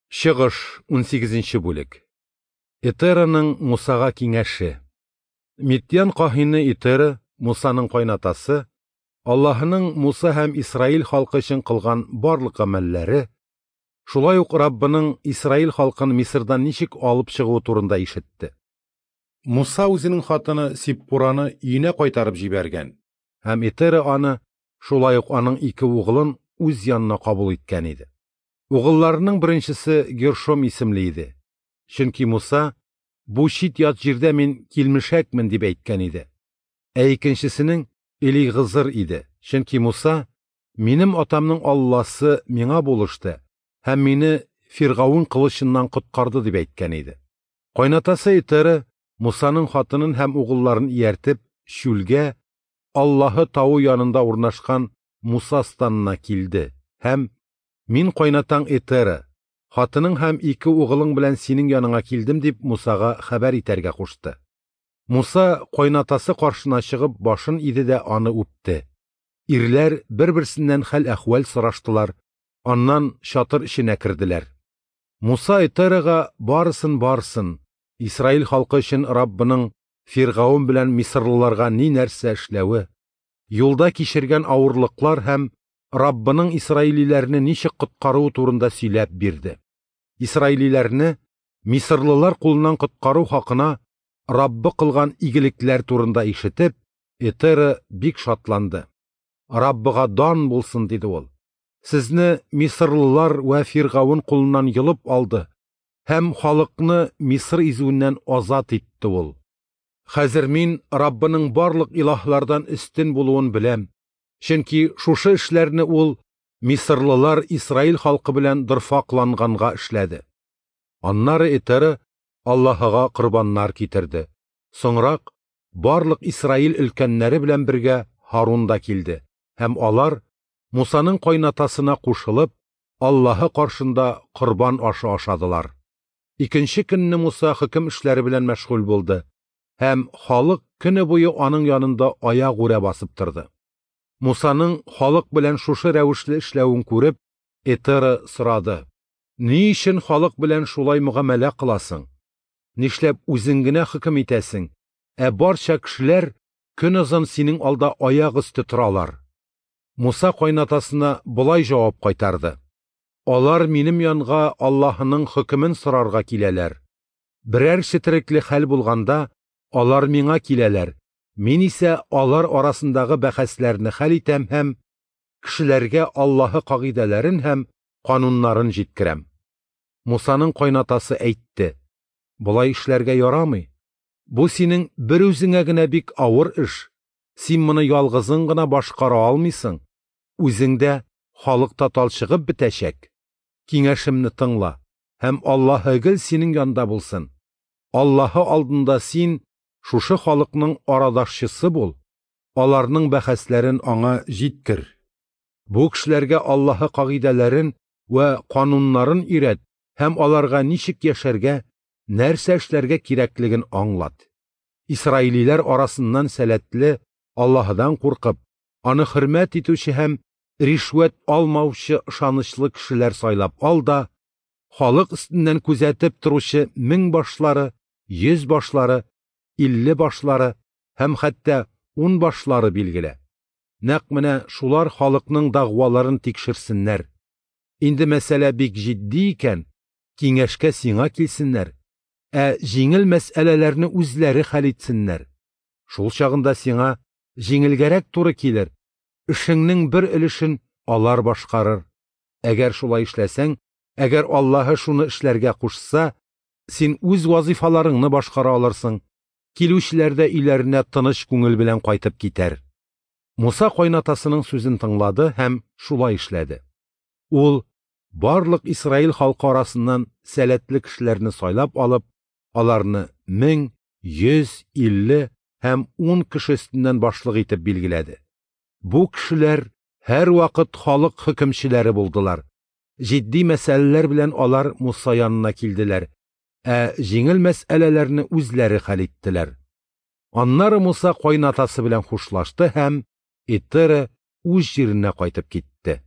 Чыгыш, 18 бүлек. Этераның Мусага киңәше. Мидьян каһине Этера, Мусаның кайнатасы, Аллаһының Муса һәм Исраил халкы өчен кылган барлык гамәлләре, шулай ук Раббының Исраил халкын Мисырдан ничек алып чыгуы турында ишетте. Муса үзенең хатыны Сиппураны өенә кайтарып җибәргән, һәм Этера аны, шулай ук аның ике угылын үз янына кабул иткән иде. Угылларының беренчесе Гершом исемле иде. Чөнки Муса: "Бу чит-ят җирдә мин килмешәкмен", – дип әйткән иде. Ә икенчесенең Элигызыр иде. Чөнки Муса: "Минем атамның Алласы миңа булышты һәм мине Фиргавен кылычыннан коткарды", – дип әйткән иде. Кайнатасы Этера Мусаның хатынын һәм угылларын ияртеп, чүлгә, Аллаһы тавы янында урнашкан Муса станына килде һәм: "Мин кайнатаң Этера, хатының һәм ике угылың белән синең яныңа килдем", – дип Мусага хәбәр итәргә кушты. Муса кайнатасы каршына чыгып башын иде дә аны үпте. Ирләр бер-берсеннән хәл-әхвәл сораштылар, аннан чатыр эченә керделәр. Муса Этерага барысын-барысын, Исраил халкы өчен Раббының Фиргавен белән мисырлыларга ни нәрсә эшләве, юлда кичергән авырлыклар һәм Раббының исраилиләрне ничек коткаруы турында сөйләп бирде. Исраилиләрне мисырлылар кулыннан коткару хакына Раббы кылган игелекләр турында ишетеп, Этера бик шатланды. "Раббыга дан булсын", – диде ул. "Сезне мисырлылар вә Фиргавен кулыннан йолып алды һәм халыкны Мисыр изүеннән азат итте ул. Хәзер мин Раббының барлык илаһлардан өстен булуын беләм, чөнки шушы эшләрне ул мисырлылар Исраил халкы белән дорфакланганга эшләде". Аннары Этера Аллаһыга корбаннар китерде. Соңрак барлык Исраил өлкәннәре белән бергә Һарун да килде, һәм алар, Мусаның кайнатасына кушылып, Аллаһы каршында корбан ашы ашадылар. Икенче көнне Муса хөкем эшләре белән мәшгуль булды, һәм халык көне буе аның янында аягүрә басып торды. Мусаның халык белән шушы рәвешле эшләвен күреп, Этера сорады: "Ни өчен халык белән шулай мөгамәлә кыласың? Нишләп үзең генә хөкем итәсең, ә барча кешеләр көнозын синең алда аяк өсте торалар?" Муса кайнатасына болай җавап кайтарды: "Алар минем янга Аллаһының хөкемен сорарга киләләр. Берәр четерекле хәл булганда, алар миңа киләләр. Мин исә алар арасындагы бәхәсләрне хәл итәм һәм кешеләргә Аллаһы кагыйдәләрен һәм кануннарын җиткерәм". Мусаның кайнатасы әйтте: "Болай эшләргә ярамый. Бу синең бер үзеңә генә бик авыр эш. Син моны ялгызың гына башкара алмыйсың. Үзең дә, халык та талчыгып бетәчәк. Киңәшемне тыңла, һәм Аллаһы гел синең янда булсын. Аллаһы алдында син шушы халыкның арадашчысы бул, аларның бәхәсләрен аңа җиткер. Бу кешеләргә Аллаһы кагыйдәләрен вә кануннарын өйрәт һәм аларга ничек яшәргә, нәрсә эшләргә кирәклеген аңлат. Исраилиләр арасыннан сәләтле, Аллаһыдан куркып, аны хөрмәт итүче һәм ришвәт алмаучы ышанычлы кешеләр сайлап ал да, халык өстеннән күзәтеп торучы 1000 башлары, 100 башлары, 50 башлары һәм хәтта 10 башлары билгелә. Нәкъ менә шулар халыкның дәгъваларын тикшерсеннәр. Инде мәсьәлә бик җитди икән, киңәшкә сиңа килсеннәр, ә җиңел мәсьәләләрне үзләре хәл итсеннәр. Шул чагында сиңа җиңелгәрәк туры килер, эшеңнең бер өлешен алар башкарыр. Әгәр шулай эшләсәң, әгәр Аллаһы шуны эшләргә кушса, син үз вазифаларыңны башкара алырсың, килүчеләр дә өйләренә тыныч күңел белән кайтып китәр". Муса кайнатасының сүзен тыңлады һәм шулай эшләде. Ул барлык Исраил халкы арасыннан сәләтле кешеләрне сайлап алып, аларны 1000, 100, 50 һәм 10 кеше өстеннән башлык итеп билгеләде. Бу кешеләр һәрвакыт халык хөкемчеләре булдылар. Җитди мәсьәләләр белән алар Муса янына килделәр, ә җиңел мәсьәләләрне үзләре хәл иттеләр. Аннары Муса кайнатасы белән хушлашты һәм Этера үз җиренә кайтып китте.